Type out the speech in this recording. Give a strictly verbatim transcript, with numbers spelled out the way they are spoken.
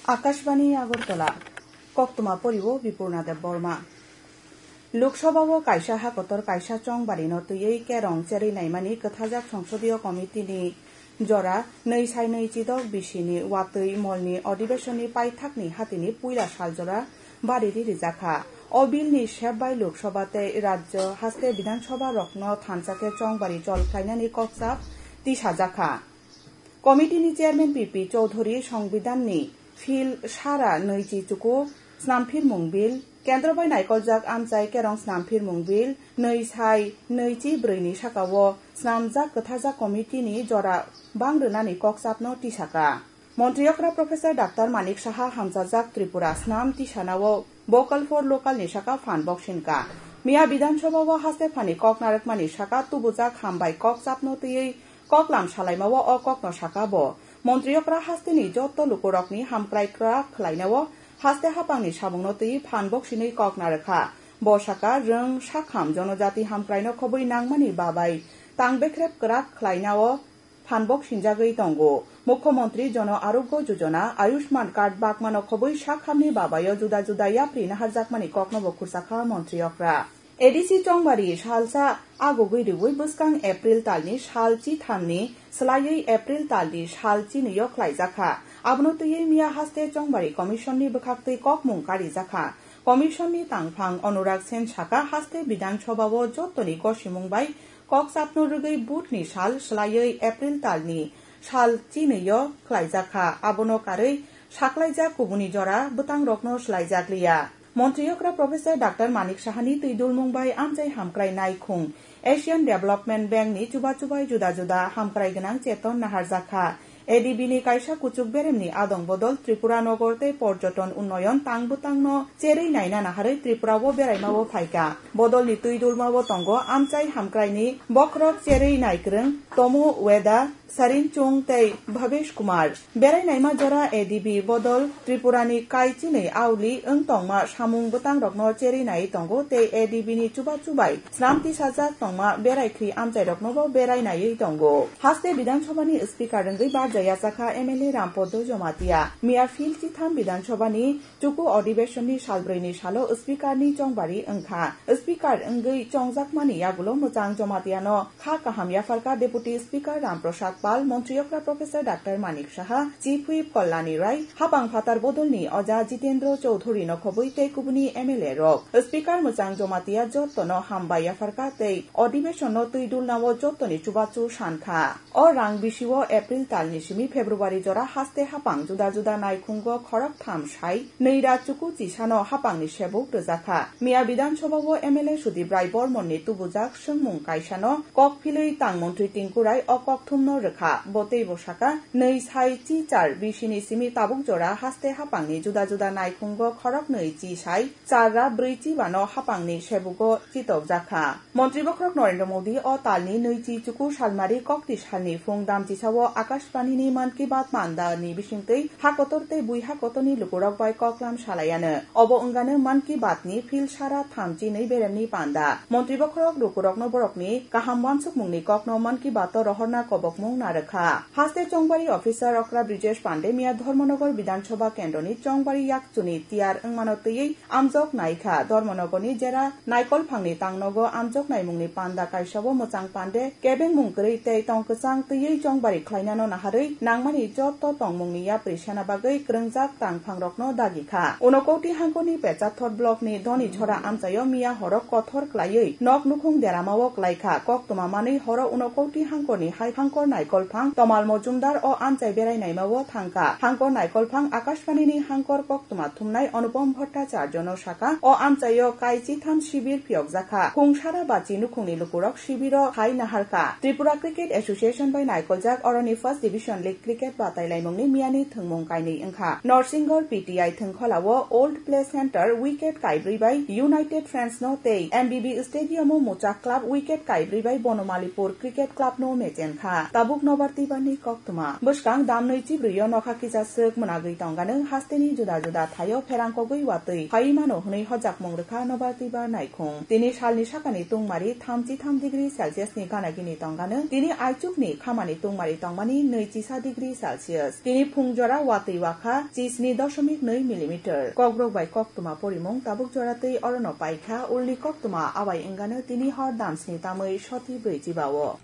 Akashbani Agartala, koktwma poriwo Bipurna Debbarma. Lok Sabha o kaisa hakotor kaisa chongbari no twiwi kerong cherwi naimani kwthajak songsodiyo committee ni jora nwi sai nwi chidok bisi ni watwi molni adhibeshon ni paithak ni hati ni puila sal jora bari ri rijak kha. O bill ni sep bai Lok Sabha tei rajyo haste Bidhan Sabha rok no thansa khe chongbari chol khlainani kokchap tisajak kha. Committee ni chairman P P Chowdhury Songbidan ni phil sara nwi chi chuku snamphirmung bill, kendro bai naikoljak amchai kerong snamphirmung bill, nwi sai nwi chi brwi ni saka o snamjak kwthajak committee ni jora bang rwnani kokchap no tisaka. Montri okra Professor Doctor Manik Saha hamchajak Tripura snam tisana o Vocal for Local ni saka phan boksin ka. Miya Bidhan Sabha o haste phani kok narwkmani saka tubujak hambai kokchap no twiwi koklam salaima o o kokno saka bo. Montri okra haste ni joto lukurokni hamkrai kwrak khlaina o haste hapangni samungno twi phan boksinwi kok narwkha. Bo saka rwng sakham jonojati hamkraino khobwi nangmani babai tang bekrep kwrak khlaina o phan boksinjagwi tongo. Mukhyamantri Jono Arogyo Jojona, Ayushman Card bakmano khobwi sakhamni babaio juda juda yapri naharjakmani kokno bo khursa kha montri okra. A D C chongbari salsa agugwi rwui bwskang April talni sal chithamni swlaiwi April talni sal chinwio khlaijakha. Abono twiwi miya haste chongbari commission ni bwkhaktwi kokmung karijakha. Commission ni tangphang Anurag Sen saka haste Bidhan Sabha o jottoni gosimung bai kokchapno rwgwi vote ni sal swlaiwi April talni sal chinwio khlaijakha. Abono karwi saklaijak kubuni jora bwtangrokno swlaijakliya. Montri okra Professor Doctor Manik Sahani twi dulmung bai amchai hamkrai naikhung Asian Development Bank ni chuba chubai juda juda hamkrai gwnang cheton naharjakha. A D B ni kaisa kuchuk beremni adong bodol Tripura Nogor tei Porjoton Unnoyon tang bwtangno cherwi naina naharwi Tripura o beraima o phaika. Bodolni twi dulma o tongo amchai hamkraini bokhorok cherwi naikwrwng Tomu Weda, Sarin Chung tei Bhabesh Kumar. Berai naima jora A D B bodol Tripurani kai chinwi auli wng tongma samung bwtangrokno cherwi nai tongo tei A D B ni chuba chubai snam tisajak tongma berai khri amchairoknobo berai naiwi tongo. Haste Bidhan Sabhani Speaker wngwi barja yachakha M L A Rampodo Jomatia. Miya phil chitham Bidhan Sabhani chuku adhibeshonni salbrwini salo Speaker ni chongbari wngkha. Speaker wngwi chongjakmani yagulo mwchang Jomatiano kha kaham yapharkha Deputy Speaker Ram Prasad Pal, Montri okra Professor Doctor Manik Saha, Chief Whip Kalyani Rai, hapang phatar bodolni oja Jitendra Chowdhury no khobwi tei kubuni M L A rok. Speaker mwchang Jomatia jottono hambai yapharkha tei adhibeshonno twi dulnao jottoni chubachu sankha. O rang bisio April talni simi February jora haste hapang juda juda naikhungo khoroktham sai nwi ra chuku chisano hapangni sebuk rwjakha. Miya Bidhan Sabha o M L A Sudip Rai Bormonni tubujak swngmung kaisano kok philwi tang montri Tinku Rai o kokthumno rwkha. Bo teibo saka, nwi sai chi char bisini simi tabuk jora haste hapangni juda juda naikhungo khoroknwi chi sai char ra brwi chibano hapangni sebugo chitokjakha. Montri bokhorok Narendra Modi o talni nwi chi chuku salmari kokti salni phung damchisao Akashbanini Mann Ki Baat panda ni bisingtwi hakotor tei bui hakotorni lukurok bai koklam salaiano. Obo wngano Mann Ki Baat ni phil sara thamchi nwi beremni panda. Montri bokhorok lukurokno borokni kaham wansukmungni kokno Mann Ki Baat o rohorna kobokmung narwkha. Haste chongbari officer okra Brijesh Pande miya Dharmanagar Bidhan Sabha kendroni chongbari yakchuni tiyar wngmano twiwi amjok naikha. Dharmanagarni jera Naikolphangni tangnogo amjok naimungni panda kaisao mwchang Pande kebengmung kwrwi tei tong kwchang twiwi chongbari khlainano naharwi nangmani joto tongmungni yapri sena bagwi kwrwngjak tangphangrokno dagi kha. Unakoti hangkorni Pechathor blockni Dhoni Chhora amchaio miya horo kothor klaiwi nok nukhung deramao klaikha. Koktwma manwi horo Unakoti hangkorni hai hangkor Naikolphang Tomal Mojumdar o amchai berai naimao thangkha. Hangkor Naikolphang Akashbanini hangkor koktwma thumnai Anupam Bhattacharya no saka, o amchaio kai chitham shibir phiyokjakha. Khungsara bachi nukhungni lukurok shibiro hai naharkha. Tripura Cricket Association bai naikoljak oroni First Division League cricket batailaimungni miyani thwngmung kainwi wngkha. Norsinghor P T I thwngkholao Old Play Centre wicket kaibrwi bai United Friends no tei M B B Stadium o Muchak Club wicket kaibrwi bai Bonomalipur Cricket Club no mechenkha. Tabuk Nobar Tibarni koktwma. Bwskang damnwi chibrwio nokha kisa swk mwnagwi tongganw hasteni juda juda thaio pherang kogwi watwi phaiwi mano hwnwi hojakmung rwkha Nobar Tibar naikhung. Tini salni sakani tungmari thamchi tham degree Celsius ni gana gini tongganw. Tini aichukni khamani tungmari tongmani nwi kisa degree Celsius. Tini phung jora watwi wakha chisni doshomik nwi millimeter. Kokborok bai koktwma porimung tabuk jora twi orono paikha, ulni koktwma abai wngano tini hor damsni tamwi soti brwi chiba-o.